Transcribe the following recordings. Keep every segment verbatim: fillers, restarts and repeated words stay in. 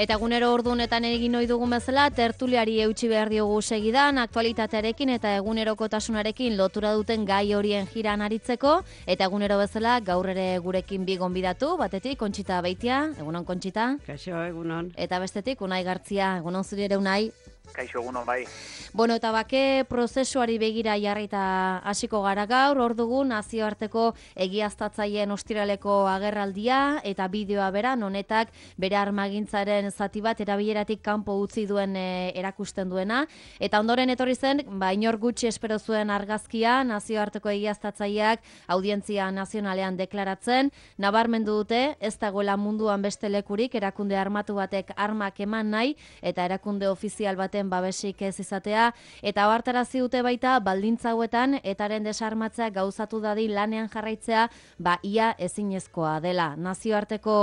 Eta egunero ordunetan egin ohi dugun bezala, tertuliari eutsi behar diogu segidan, aktualitatearekin eta egunerokotasunarekin lotura duten gai horien jiran aritzeko, eta egunero bezala gaur ere gurekin bi gonbidatu, batetik Kontxita Beitia, egunon Kontxita. Kaixo, egunon. Eta bestetik Unai Gartzia, egunon zuri ere Unai. Kaixo egunon bai. Bueno, eta bake prozesuari begira jarrita hasiko gara gaur, hor dugu nazioarteko egiaztatzaileen ostiraleko agerraldia eta bideoa bera, honetak bere armagintzaren zati bat erabileratik kanpo utzi duen e, erakusten duena, eta ondoren etorri zen, ba inor gutxi espero zuen argazkia nazioarteko egiaztatzaileak audientzia nazionalean deklaratzen, nabarmendu dute ez dagoela munduan beste lekurik erakunde armatu batek armak eman nahi eta erakunde ofizial baten babesik ez izatea, eta ohartarazi dute baita baldintza hauetan etaren desarmatzea gauzatu dadin lanean jarraitzea ba ia ezinezkoa dela. Nazioarteko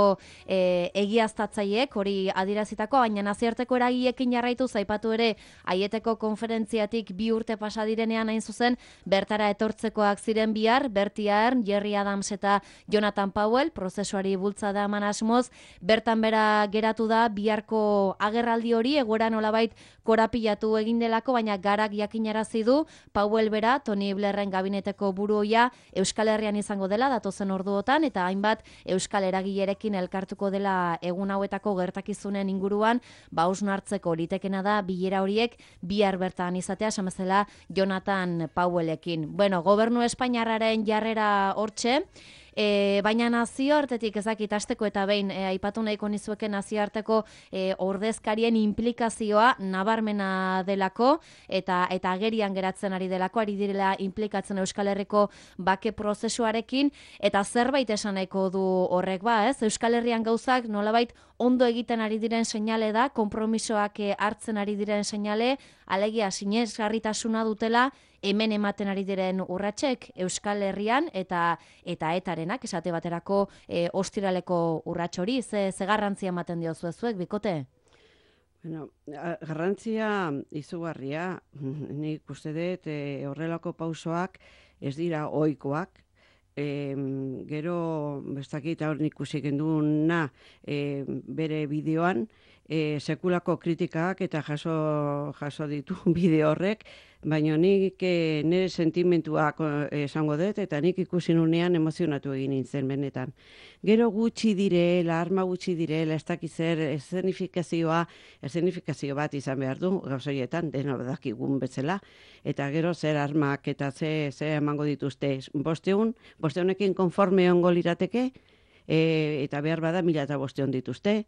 e, egiaztatzaileek hori adierazitako, baina nazioarteko eragileekin jarraitu zaipatu ere Aieteko konferentziatik bi urte pasa direnean hain zuzen bertara etortzekoak ziren bihar, Bertie Ahern, Gerry Adams eta Jonathan Powell, prozesuari bultzada eman asmoz, bertan bera geratu da biharko agerraldi hori egoera nolabait korapilatu egin delako, baina garak jakinarazi du Powell bera, Tony Blairren gabineteko buruoia Euskal Herrian izango dela datozen orduotan, eta hainbat Euskal eragilerekin elkartuko dela egun hauetako gertakizunen inguruan, ba hausnartzeko litekena da bilera horiek bihar bertan izatea, esan bezala Jonathan Powellekin. Bueno, gobernu espainiarraren jarrera hortxe, E, baina nazioartetik ezakit hasteko eta behin e, aipatu nahiko nizueke nazioarteko e, ordezkarien implikazioa nabarmena delako eta eta agerian geratzen ari delako, ari direla implikatzen Euskal Herriko bake prozesuarekin, eta zerbait esan nahiko du horrek ba, ez? Euskal Herrian gauzak nolabait ondo egiten ari diren seinale da, konpromisoak hartzen ari diren seinale, alegia sinesgarritasuna dutela hemen ematen ari diren urratsek Euskal Herrian eta eta etarenak esate baterako e, ostiraleko urrats hori, ze, ze garrantzia ematen diozu zuek bikote? Bueno, garrantzia izugarria, nik uste dut e, horrelako pausoak ez dira ohikoak. E, gero, bestakit hor nik ikusi genduna e, bere bideoan, e, sekulako kritikak eta jaso, jaso ditu bideo horrek, baina nik e, nire sentimentuak esango dut, eta nik ikusi nunean emozionatu egin nintzen benetan. Gero gutxi direla, arma gutxi direla, ez dakiz zer, eszenifikazioa, eszenifikazio bat izan behar du, gauzoietan, dena dakigun bezala, eta gero zer armak eta ze, ze emango dituzte. Bosteun, bosteunekin konforme ongo lirateke, e, eta behar bada mila eta bosteun dituzte,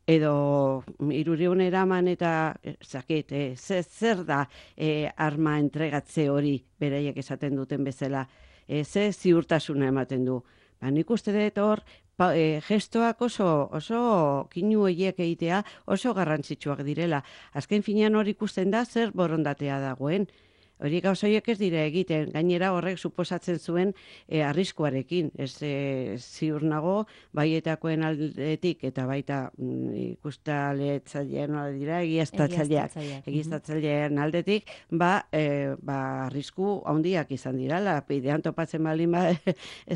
edo hirurehun eraman eta zakit, e, zer, zer da e, arma entregatze hori beraiek esaten duten bezala, e, ze ziurtasuna ematen du. Ba, nik uste dut hor, pa, e, gestoak oso, oso kinu horiek egitea oso garrantzitsuak direla. Azken finean hor ikusten da zer borondatea dagoen. Hori gauzoiek ez dira egiten, gainera horrek suposatzen zuen e, arriskuarekin. Ez e, ziur nago, baietakoen aldetik eta baita mm, ikustaletzailean dira, egiaztatzaileak, egiaztatzailean aldetik, ba, e, ba arrisku handiak izan dira, la bidean topatzen baldin ba,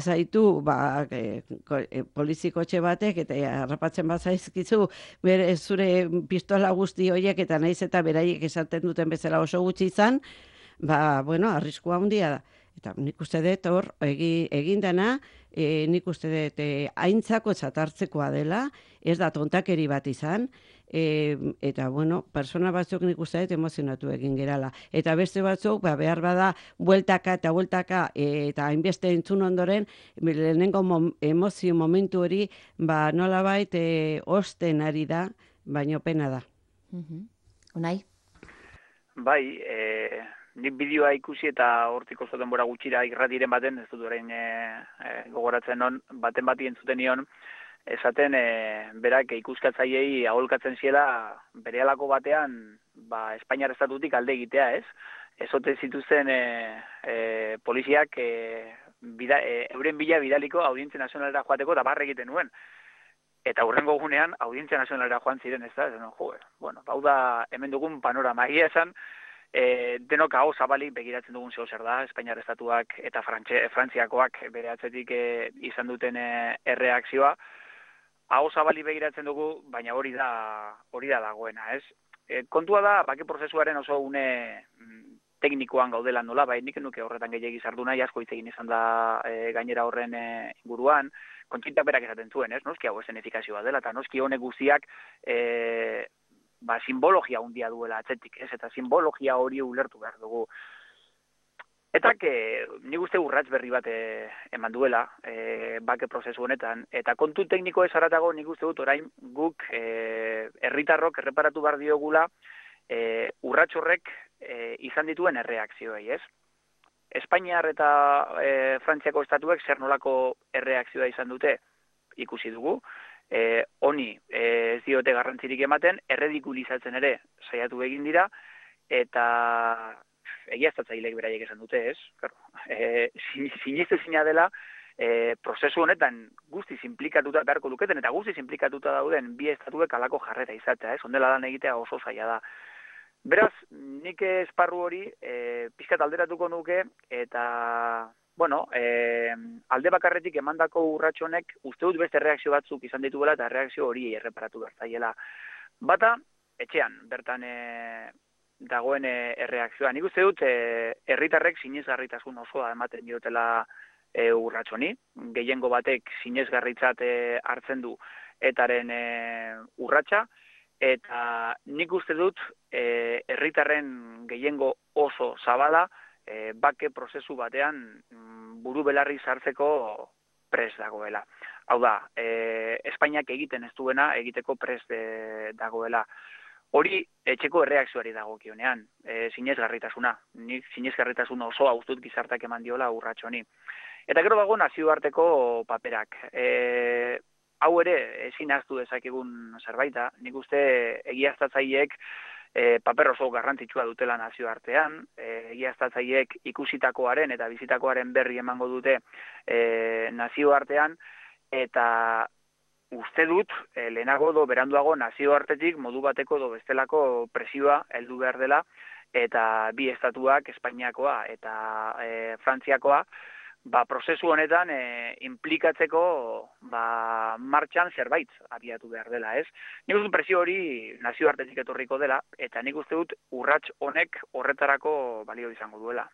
ezaitu, ba, e, e, polizikotxe batek, eta harrapatzen bazaizkizu, bere zure pistola guzti horiek, eta naiz eta beraiek esaten duten bezala oso gutxi izan, ba, bueno, arriskua handia da. Eta nik uste dut hor, egi, egin dana, e, nik uste dut e, aintzako txatartzekoa dela, ez da tontakeri bat izan, e, eta, bueno, persona batzuk nik uste dut emozionatu egin gerala. Eta beste batzuk, ba, behar bada, bueltaka eta bueltaka, e, eta hainbeste entzun ondoren, lehenengo mom, emozio momentu hori, ba, nolabait, e, osten ari da, baino pena da. Mm-hmm. Unai? Bai, e... nik bideoa ikusi eta hortik oso denbora gutxira irratiren baten, ez dut orain e, e, gogoratzen non, baten bati entzuten nion, esaten e, berak ikuskatzaileei aholkatzen ziela berehalako batean ba, Espainiar estatutik alde egitea, ez? Ezote zituzten e, e, poliziak e, bida, e, euren bila bidaliko audientzia nazionalera joateko eta barre egiten nuen. Eta hurrengo gunean audientzia nazionalera joan ziren, ez da? No, jo, bueno, hau da hemen dugun panorama egia esan, E, denok hau zabalik begiratzen dugun zeo zer da, Espainiar estatuak eta Frantxe, Frantziakoak bere atzetik e, izan duten e, erreakzioa, aho zabali begiratzen dugu, baina hori da hori da dagoena, ez? E, kontua da, bake prozesuaren oso une teknikoan gaudela nola, bai nik nuke horretan gehiagi sartu nahi, asko hitz egin izan da e, gainera horren e, inguruan, kontxintak berak esaten zuen, ez? Noski hau esenifikazioa dela, eta noski honek guztiak e, ba, simbologia handia duela atzetik, ez? Eta simbologia hori ulertu behar dugu. Eta que nik uste urrats berri bat e, eman duela e, bake prozesu honetan, eta kontu tekniko ez haratago nik uste dut orain guk e, herritarrok erreparatu behar diogula e, urrats horrek e, izan dituen erreakzioei, ez? Espainiar eta e, Frantziako estatuek zer nolako erreakzioa izan dute ikusi dugu, e, honi e, ez diote garrantzirik ematen, erredikulizatzen ere saiatu egin dira, eta egiaztatzaileek beraiek esan dute, ez? Claro, e, sinestu zina dela, e, prozesu honetan guztiz implikatuta beharko luketen, eta guztiz implikatuta dauden bi estatuek halako jarrera izatea, ez? Ondela lan egitea oso zaila da. Beraz, nik esparru hori e, pizkat alderatuko nuke, eta, bueno, e, alde bakarretik emandako urrats honek uste dut beste reakzio batzuk izan dituela, eta reakzio hori erreparatu bertzaiela. Bata, etxean, bertan e, dagoen erreakzioa. Nik uste dut, herritarrek sinesgarritasun osoa ematen diotela e, urratsoni. Gehiengo batek sinesgarritzat e, hartzen du etaren e, urratsa, eta nik uste dut, e, herritarren gehiengo oso zabala, e, bake prozesu batean buru belarri sartzeko prest dagoela. Hau da, e, Espainiak egiten ez duena, egiteko prest e, dagoela. Hori etxeko erreakzioari dagokionean, e, sinesgarritasuna. Nik sinesgarritasun osoa ustut gizartak eman diola urratxo honi. Eta gero dago nazioarteko paperak. E, hau ere ezin ahaztu dezakegun zerbaita. Nik uste egiaztatzaileek e, paper oso garrantzitsua dutela nazioartean. E, egiaztatzaileek ikusitakoaren eta bizitakoaren berri emango dute e, nazioartean, eta uste dut, eh, lehenago do beranduago nazioartetik modu bateko do bestelako presioa heldu behar dela, eta bi estatuak, Espainiakoa eta e, Frantziakoa, ba, prozesu honetan e, implikatzeko ba, martxan zerbait abiatu behar dela, ez? Nik uste dut presio hori nazioartetik etorriko dela, eta nik uste dut urrats honek horretarako balio izango duela.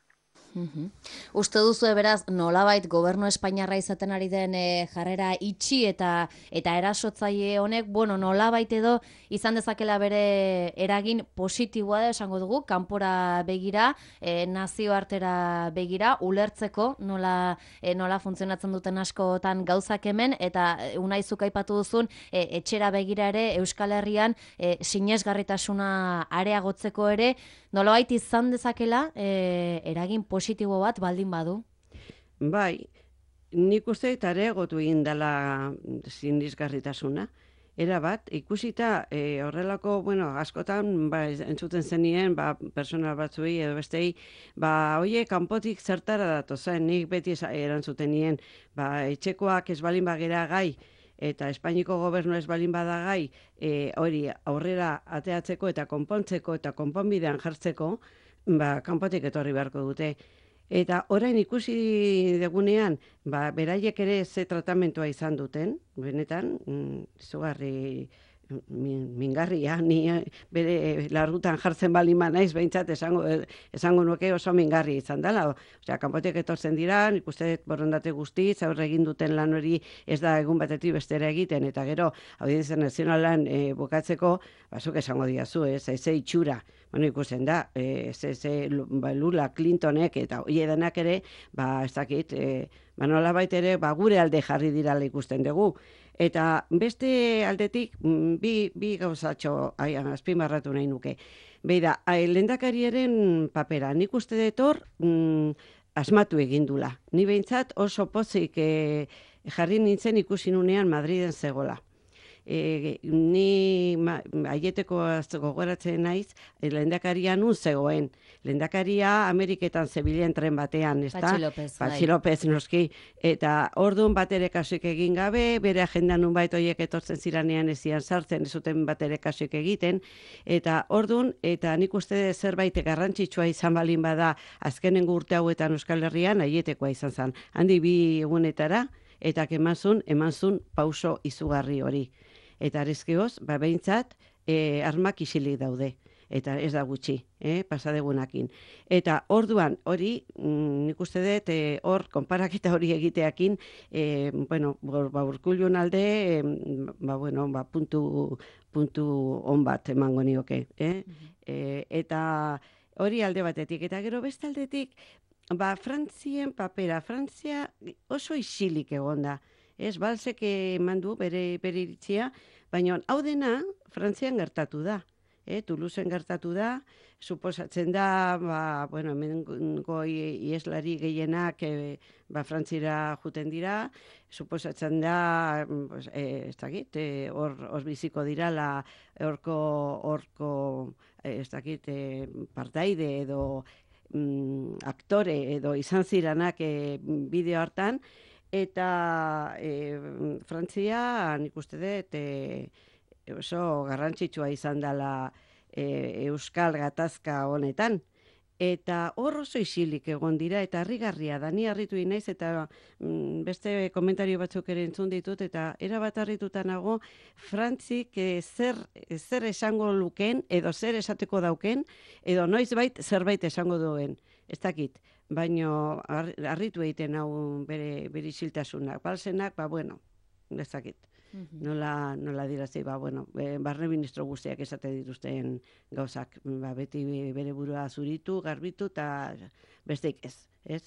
Uhum. Uste duzu beraz nolabait gobernu espainiarra izaten ari den e, jarrera itxi eta eta erasotzaile honek, bueno, nolabait edo izan dezakela bere eragin positiboa da esango dugu, kanpora begira, e, nazioartera begira, ulertzeko nola e, nola funtzionatzen duten askotan gauzak hemen, eta e, Unai zuk aipatu duzun e, etxera begira ere Euskal Herrian e, sinesgarritasuna areagotzeko ere, nolabait izan dezakela e, eragin positibo bat baldin badu? Bai, nik uste eta areagotu egin dela sinesgarritasuna. Era bat, ikusita e, horrelako, bueno, askotan ba, entzuten zenien, ba, personal batzuei edo bestei, ba, oie, kanpotik zertara datozen, nik beti erantzuten nien, ba, etxekoak ez balin bagera gai, eta Espainiko gobernu ez balin bada gai, e, hori aurrera ateatzeko eta konpontzeko eta konponbidean jartzeko, ba, kanpotik etorri beharko dute. Eta orain ikusi degunean, ba, beraiek ere ze tratamentua izan duten, benetan, mm, zugarri mingarria, ni bere larrutan jartzen balima naiz, behintzat esango, esango nuke oso mingarri izan dela. Osea, kanpotik etortzen dira, nik uste borondate guztiz, aurre egin duten lan hori ez da egun batetik bestera egiten, eta gero, Audientzia Nazionalan e, bukatzeko, bazuk esango diazu, ez, ez itxura. Bueno, ikusten da, e, ze, ze, ba, Lula, Clintonek, eta hoi edanak ere, ba, ez dakit, e, ba, nolabait ere, ba, gure alde jarri dirala ikusten dugu. Eta beste aldetik, bi, bi gauzatxo azpimarratu nahi nuke. Beida, lehendakariaren papera, nik uste detor mm, asmatu egindula. Ni behintzat oso pozik e, jarri nintzen ikusi nunean Madriden zegola. E, ni ma, aieteko gogoratzen naiz, e, lehendakaria nun zegoen. Lehendakaria Ameriketan zebilen tren batean, ez da? Patxi López, Patxi López, noski. Eta orduan batere kasuik egin gabe, bere agenda nun bait horiek etortzen ziranean ezian sartzen, ez zuten batere kasuik egiten. Eta orduan, eta nik uste zerbait garrantzitsua izan balin bada azkenengo urte hauetan Euskal Herrian, aietekoa izan zen. Handi bi egunetara, eta emazun, emanzun pauso izugarri hori. Eta arezkeoz, ba, behintzat, e, armak isilik daude. Eta ez da gutxi, eh, pasadegunakin. Eta orduan, hori, mm, nik uste dut, e, hor, konparaketa hori egiteakin, e, bueno, ba, Urkullun alde, e, ba, bueno, ba, puntu, puntu on bat emango nioke, eh? E, eta hori alde batetik, eta gero beste aldetik, ba, Frantzien papera, Frantzia oso isilik egon da. Ez, balzek eman du bere, bere iritzia, baina hau dena Frantzian gertatu da. E, Toulouseen gertatu da, suposatzen da, ba, bueno, hemengo ieslari gehienak e, ba, Frantzira juten dira, suposatzen da, pues, e, ez dakit, e, hor, hor biziko dira, la, horko, horko, e, ez dakit, e, partaide edo mm, aktore edo izan ziranak e, bideo hartan, eta e, Frantzia, nik uste dut, e, oso garrantzitsua izan dela e, Euskal gatazka honetan. Eta hor oso isilik egon dira, eta harrigarria da, ni harritu inaiz, eta mm, beste komentario batzuk ere entzun ditut, eta erabat harrituta nago, Frantzik e, zer, zer esango luken, edo zer esateko dauken, edo noizbait zerbait esango duen, ez dakit. Baino harritu egiten hau bere, bere isiltasunak, balsenak, ba bueno, ez dakit. Nola, nola dirazi, ba, bueno, barne ministro guztiak esate dituzten gauzak, ba, beti bere burua zuritu, garbitu, eta besteik ez, ez?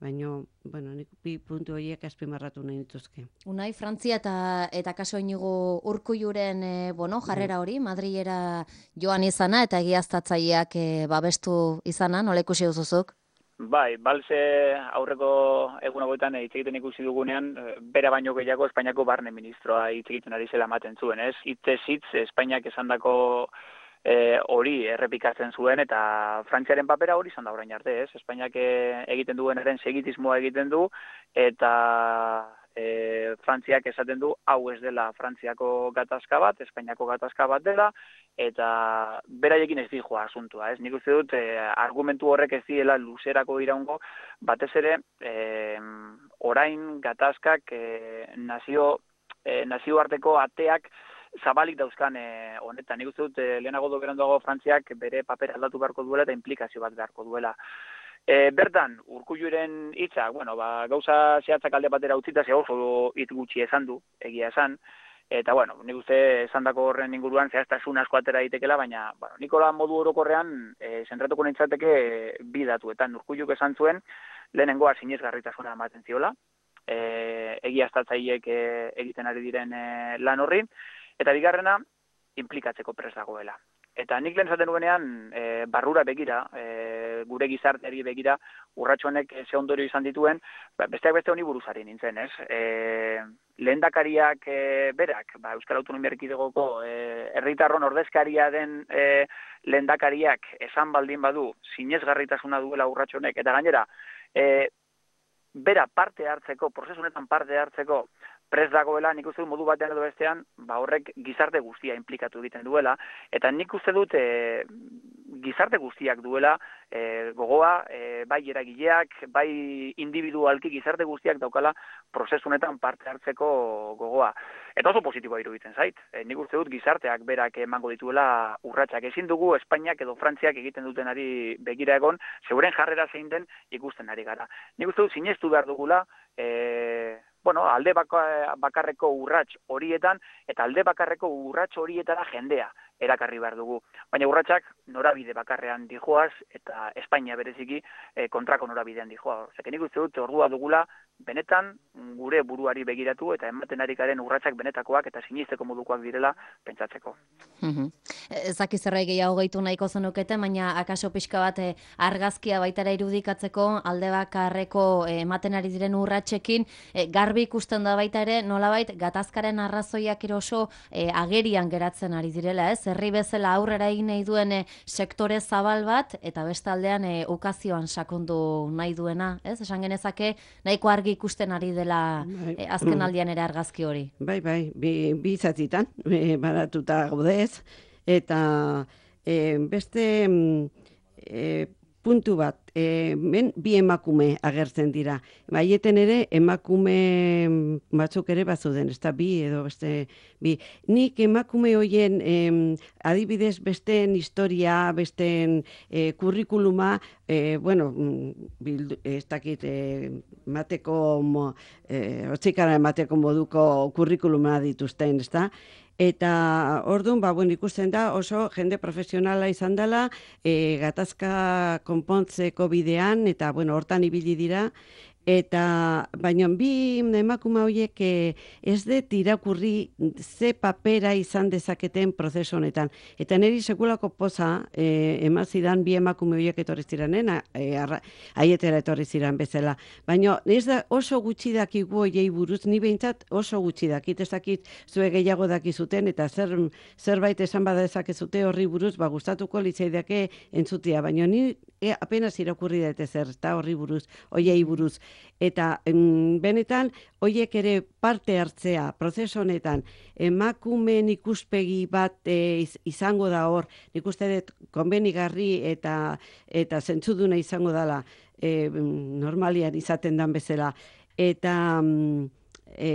Baina, bueno, nik bi puntu horiek azpimarratu nahi dituzke. Unai, Frantzia eta, eta kaso inigo Urkulluren e, bueno, jarrera hori, Madrilera joan izana, eta egiaztatzaileak e, babestu izana, nola ikusi duzuzuk? Bai, balze aurreko egun hauetan hitz egiten ikusi dugunean, bera baino gehiago Espainiako barne ministroa hitz egiten ari zela ematen zuen, ez? Hitzez hitz Espainiak esandako e, hori errepikatzen zuen, eta Frantziaren papera hori izan da orain arte, ez? Espainiak egiten duenaren segitismoa egiten du, eta e, Frantziak esaten du, hau ez dela Frantziako gatazka bat, Espainiako gatazka bat dela, eta beraiekin ez dijoa asuntua, ez? Nik uste dut, e, argumentu horrek ez diela luzerako iraungo, batez ere, e, orain gatazkak e, nazio, e, nazioarteko ateak zabalik dauzkan e, honetan. Nik uste dut, e, lehenago do beranduago Frantziak bere paper aldatu beharko duela eta implikazio bat beharko duela. E, bertan, Urkulluren hitza, bueno, ba, gauza zehatzak alde batera utzita, ze oso hitz gutxi esan du, egia esan, eta, bueno, nik uste esandako horren inguruan zehaztasun asko atera ditekela, baina, bueno, Nikola modu orokorrean e, zentratuko nintzateke e, bi datuetan. Urkulluk esan zuen, lehenengoa sinesgarritasuna ematen ziola, e, egiaztatzaileek e, egiten ari diren e, lan horri, eta bigarrena, inplikatzeko prest dagoela. Eta nik lehen zaten nuenean, e, barrura begira, e, gure gizarteari begira, urratxo honek ze ondorio izan dituen, ba, besteak beste honi buruzari nintzen, ez? E, lehendakariak e, berak, ba, Euskal Autonomia Erkidegoko e, herritarron ordezkaria den e, lehendakariak esan baldin badu, sinesgarritasuna duela urratxo honek, eta gainera, e, bera parte hartzeko, prozesu honetan parte hartzeko, prest dagoela, nik uste dut modu batean edo bestean, ba horrek gizarte guztia implikatu egiten duela, eta nik uste dut e, gizarte guztiak duela e, gogoa, e, bai eragileak, bai individualki gizarte guztiak daukala prozesu honetan parte hartzeko gogoa. Eta oso positiboa iruditzen zait. E, nik uste dut gizarteak berak emango dituela urratsak. Ezin dugu Espainiak edo Frantziak egiten dutenari begira egon, zeuren jarrera zein den ikusten ari gara. Nik uste dut sinestu behar dugula, e, bueno, alde bakarreko urrats horietan, eta alde bakarreko urrats horietara jendea erakarri behar dugu. Baina urratsak norabide bakarrean dijoaz, eta Espainia bereziki e, kontrako norabidean dijoa. Osea, nik uste dut ordua dugula, benetan gure buruari begiratu, eta ematen ari garen urratsak benetakoak eta sinisteko modukoak direla pentsatzeko. Ez dakiz zerbait gehiago gehitu nahiko zenukete, baina akaso pixka bat eh, argazkia baitara irudikatzeko alde bakarreko eh, ematen ari diren urratsekin, eh, garbi ikusten da baita ere, nolabait gatazkaren arrazoiak eroso eh, agerian geratzen ari direla, ez? Herri bezala aurrera egin nahi duen eh, sektore zabal bat, eta bestaldean eh, ukazioan sakondu nahi duena, ez? Esan genezake nahiko argi ikusten ari dela eh, azken aldian ere argazki hori. Bai, bai, bi, bi zatitan, e, baratuta gaudez, eta e, beste e, puntu bat, e, men, bi emakume agertzen dira. Baieten ere emakume batzuk ere bazuden, ez da bi edo beste bi. Nik emakume hoien em, adibidez besteen historia, besteen e, kurrikuluma, e, bueno, bildu, ez dakit, e, mateko, mo, e, otzikara mateko moduko kurrikuluma dituzten, ez da? Eta orduan, ba, bueno, ikusten da oso jende profesionala izan dela, e, gatazka konpontzeko bidean, eta bueno, hortan ibili dira, eta baina bi emakume horiek e, ez dut irakurri ze papera izan dezaketen prozesu honetan. Eta niri sekulako poza e, emazidan bi emakume horiek etorri ziranen, e, aietera etorri ziren bezala. Baina ez da oso gutxi dakigu horiei buruz, ni behintzat oso gutxi dakit, ez dakit zue gehiago dakizuten, eta zer, zerbait esan badezakezute horri buruz, ba, gustatuko litzaidake entzutia, baina ni e, apenas irakurri dute zer, eta horri buruz, horiei buruz. Eta em, benetan, hoiek ere parte hartzea, prozesu honetan, emakumeen ikuspegi bat e, izango da hor, nik uste dut konbenigarri eta eta zentzuduna izango dela, e, normalian izaten dan bezala. Eta e,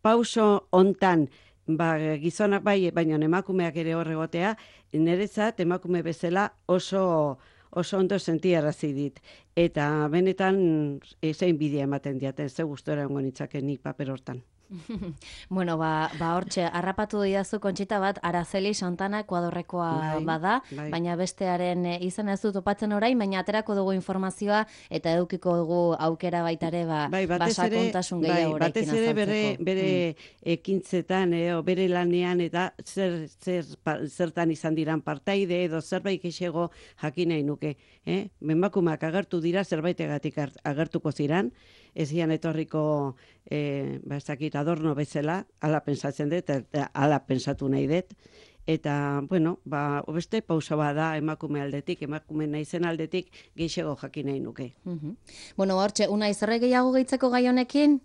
pauso hontan, ba, gizonak bai, baina emakumeak ere hor egotea, niretzat emakume bezala oso oso ondo sentiarazi dit. Eta benetan zein bidea ematen diaten, ze gustora egongo nitzake nik paper hortan. Bueno, ba, ba hortxe, harrapatu didazu Kontxita bat, Araceli Santana Ekuadorrekoa bai, bada, bai. baina bestearen e, izan ez dut topatzen orain, baina aterako dugu informazioa eta edukiko dugu aukera baitare ba, bai, batez ere, basakontasun bai, gehiagorekin batez ere bere, bere mm. ekintzetan, edo bere lanean, eta zer, zer, pa, zertan izan diran partaide, edo zerbait kexego jakin nahi nuke. Eh? Emakumeak agertu dira, zerbaitegatik agertuko ziran, ez zian etorriko e, ba, ez dakit, adorno bezala, ala pensatzen dut, eta ala pensatu nahi dut. Eta, bueno, ba, beste pausa bada emakume aldetik, emakume naizen aldetik, geixego jakin nahi nuke. Mm -hmm. Bueno, hortxe, Unai, zerre gehiago gehitzeko gai honekin?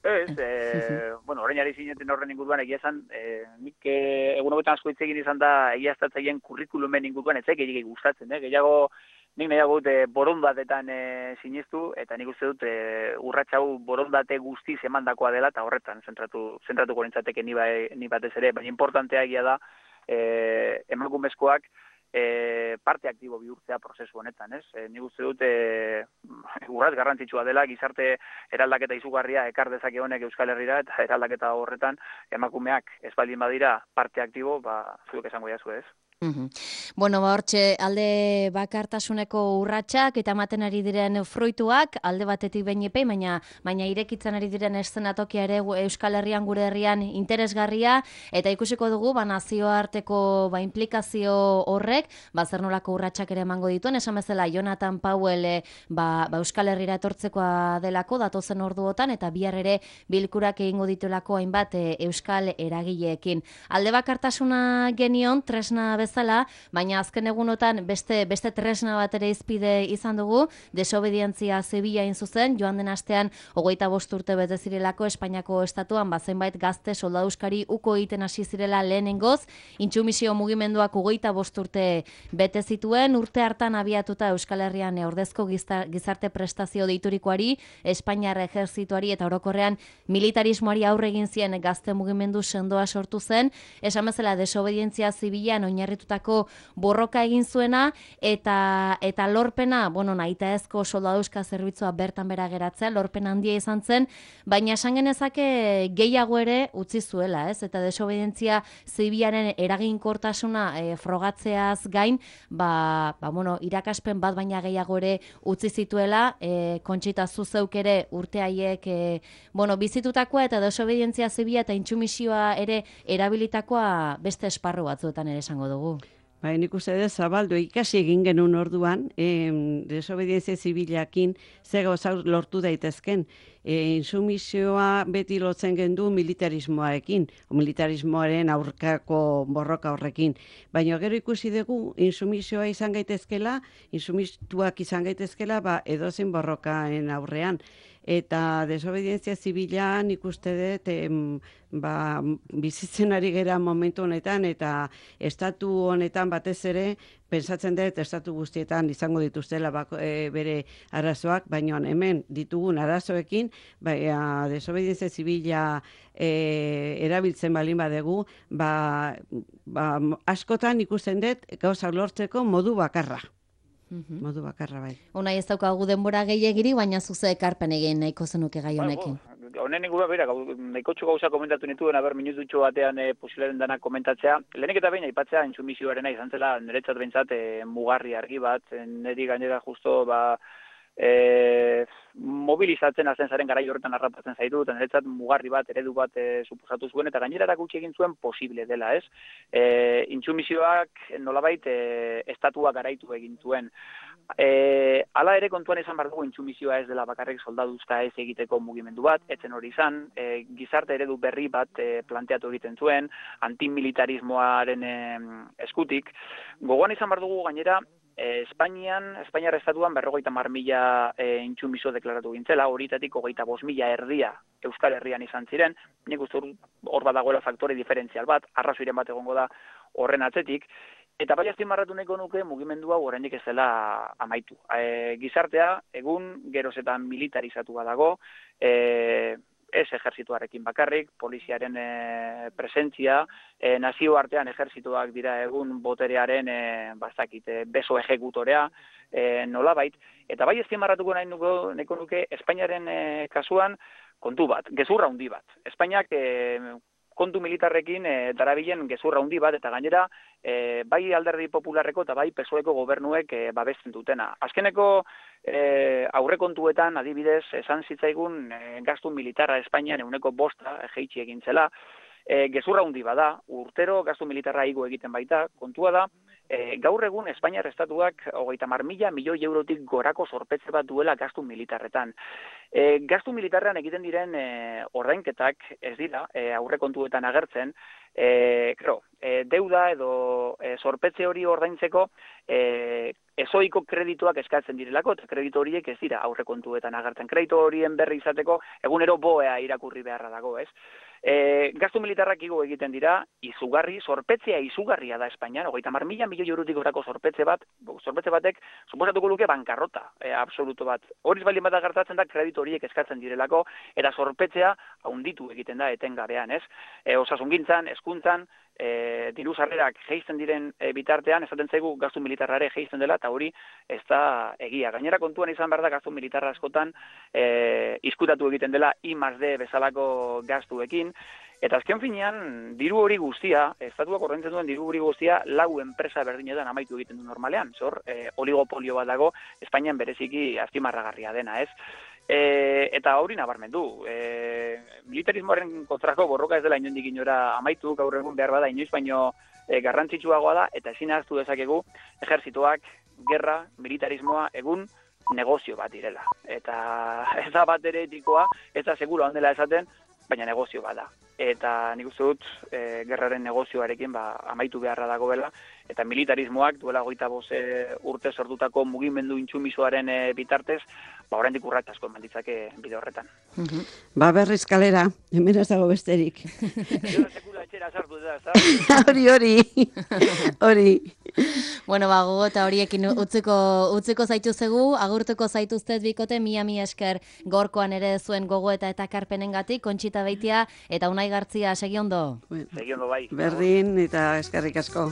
Ez, e, bueno, orain ari zineten horren inguruan egia esan, e, nik e, egun hobetan asko hitz egin izan da egiaztatzaien kurrikulumen inguruan, ez zaik gehiagik gustatzen, eh? Gehiago, nik nahiago dut e, borondatetan e, sinistu, eta nik uste dut e, urratxau borondate guztiz emandakoa dela, eta horretan zentratu, zentratuko nintzateke ni, ba, ni batez ere, baina importantea egia da, e, emakumezkoak, E, parte aktibo bihurtzea prozesu honetan, ez? E, nik uste dut e, urratz garrantzitsua dela, gizarte eraldaketa izugarria ekar dezake honek Euskal Herrira, eta eraldaketa horretan emakumeak ez baldin badira parte aktibo, ba, zuek esango jazu, ez? Uhum. Bueno, ba hortxe, alde bakartasuneko urratsak eta ematen ari diren fruituak, alde batetik behinepei, baina baina irekitzen ari diren eszenatokia ere Euskal Herrian, gure herrian interesgarria, eta ikusiko dugu, ba nazioarteko ba, implikazio horrek, ba zer nolako urratsak ere emango dituen, esan bezala Jonathan Powell ba, ba Euskal Herrira etortzekoa delako, datozen orduotan, eta bihar ere bilkurak egingo dituelako hainbat e, Euskal eragileekin. Alde bakartasuna genion, tresna bezala, baina azken egunotan beste beste tresna bat ere izpide izan dugu, desobedientzia zibila in zuzen, joan den astean hogeita bost urte bete zirelako Espainiako estatuan bazenbait gazte soldaduzkari uko egiten hasi zirela lehenengoz, intsumisio mugimenduak hogeita bost urte bete zituen, urte hartan abiatuta Euskal Herrian ordezko gizarte prestazio deiturikoari, Espainiar ejerzituari eta orokorrean militarismoari aurre egin zien gazte mugimendu sendoa sortu zen, esan bezala desobedientzia zibilan oinarri tutako borroka egin zuena eta eta lorpena, bueno, nahitaezko soldaduzka zerbitzua bertan bera geratzea, lorpen handia izan zen, baina esan genezake gehiago ere utzi zuela, ez? Eta desobedientzia zibilaren eraginkortasuna e, frogatzeaz gain, ba, ba, bueno, irakaspen bat baina gehiago ere utzi zituela, e, Kontxita zuzeuk ere urte haiek e, bueno, bizitutakoa eta desobedientzia zibila eta intsumisioa ere erabilitakoa beste esparru batzuetan ere esango dugu. Bai, nik uste dut zabaldu ikasi egin genuen orduan, e, desobedientzia zibilakin ze gauza lortu daitezken. E, insumisioa beti lotzen gendu militarismoarekin, o militarismoaren aurkako borroka horrekin. Baina gero ikusi dugu insumisioa izan gaitezkela, insumituak izan gaitezkela, ba, edozein borrokaen aurrean. eta desobedientzia zibila nik uste dut em, ba, bizitzen ari gera momentu honetan, eta estatu honetan batez ere, pensatzen dut estatu guztietan izango dituztela bako, e, bere arazoak, baina hemen ditugun arazoekin, baina desobedientzia zibila e, erabiltzen balin badegu, ba, ba, askotan ikusten dut gauza lortzeko modu bakarra. Mhm. Modu bakarra bai. Unai ez daukagu denbora gehiagiri, baina zuze ekarpen egin nahiko zenuke gai honekin. Bueno, honen ingurua bera, nahikotxo gauza komentatu nituen, aber minututxo batean e, posiblaren dana komentatzea. Lehenik eta behin aipatzea intsumisioarena izan zela, niretzat behintzat e, mugarri argi bat, niri gainera justo ba, e, mobilizatzen hazen zaren garai horretan harrapatzen zaitu, eta niretzat mugarri bat, eredu bat e, suposatu zuen, eta gainera erakutsi egin zuen posible dela, ez? E, intsumisioak nolabait e, estatua garaitu egin zuen. E, ala ere kontuan izan behar dugu intsumisioa ez dela bakarrik soldaduzka ez egiteko mugimendu bat, etzen hori izan, e, gizarte eredu berri bat e, planteatu egiten zuen, antimilitarismoaren e, eskutik. Gogoan izan behar dugu gainera, e, Espainian, Espainiar estatuan berrogeita mar mila e, intsumiso deklaratu gintzela, horietatik hogeita bost mila erdia Euskal Herrian izan ziren, nik uste hor badagoela faktore diferentzial bat, arrazoiren bat egongo da horren atzetik. Eta bai azpimarratu nahiko nuke mugimendu hau oraindik ez dela amaitu. E, gizartea egun geroz eta militarizatua dago, e, ez ejertzituarekin bakarrik, poliziaren e, presentzia, e, nazioartean ejertzituak dira egun boterearen e, bastakit, e, beso ejekutorea, e, nolabait. Eta bai azpimarratuko nahi nuko, nahiko nuke Espainiaren e, kasuan kontu bat, gezurra handi bat. Espainiak e, kontu militarrekin e, darabilen gezurra handi bat, eta gainera e, bai alderdi popularreko eta bai P S O Eko gobernuek e, babesten dutena. Azkeneko e, aurrekontuetan adibidez esan zitzaigun e, gastu militarra Espainian ehuneko bosta e, jeitsi egin zela, e, gezurra handi bada, urtero gastu militarra igo egiten baita, kontua da, E, gaur egun Espainiar estatuak hogeita hamar mila milioi eurotik gorako zorpetze bat duela gastu militarretan. E, gastu militarrean egiten diren e, ordainketak ez dira e, aurrekontuetan agertzen, e, claro, e, deuda edo e, zorpetze hori ordaintzeko e, ezoiko kredituak eskatzen direlako, eta kreditu horiek ez dira aurrekontuetan agertzen. Kreditu horien berri izateko egunero boea irakurri beharra dago, ez? E, gastu militarrak igo egiten dira, izugarri, zorpetzea izugarria da Espainian, hogeita hamar mila milioi eurotik gorako zorpetze bat, zorpetze batek, suposatuko luke bankarrota, e, absoluto bat. Horiz baldin bat gertatzen da, kreditu horiek eskatzen direlako, eta zorpetzea haunditu egiten da etengabean, ez? E, osasungintzan, hezkuntzan, e, diru sarrerak jeisten diren e, bitartean, esaten zaigu gastu militarrare jeisten dela, eta hori ez da egia. Gainera kontuan izan behar da gastu militarra askotan e, izkutatu egiten dela I más D bezalako gastuekin, eta azken finean, diru hori guztia, estatuak ordaintzen duen diru hori guztia, lau enpresa berdinetan amaitu egiten du normalean, zor, e, oligopolio bat dago, Espainian bereziki azpimarragarria dena, ez? E, eta hori nabarmendu, e, militarismoaren kontrako borroka ez dela inondik inora amaitu, gaur egun behar bada inoiz baino e, garrantzitsuagoa da, eta ezin ahaztu dezakegu ejertzituak, gerra, militarismoa egun negozio bat direla. Eta ez da bat ere etikoa, ez da seguro handela esaten, baina negozio bada. Eta nik uste dut e, gerraren negozioarekin ba, amaitu beharra dagoela, eta militarismoak duela hogeita bost urte sortutako mugimendu intsumisoaren e, bitartez, ba oraindik urrats asko eman ditzake bide horretan. Uh-huh. Ba berriz kalera, hemen ez dago besterik. Sekula etxera sartu da, ez Hori, hori, hori. Bueno, ba, gogo eta horiekin utziko, utziko zaituzegu, agurtuko zaituztet bikote, mia mi esker gorkoan ere zuen gogo eta eta karpenengatik, Kontxita Beitia eta Unai Gartzia, segi ondo. Bueno, segi ondo bai. Berdin eta eskerrik asko.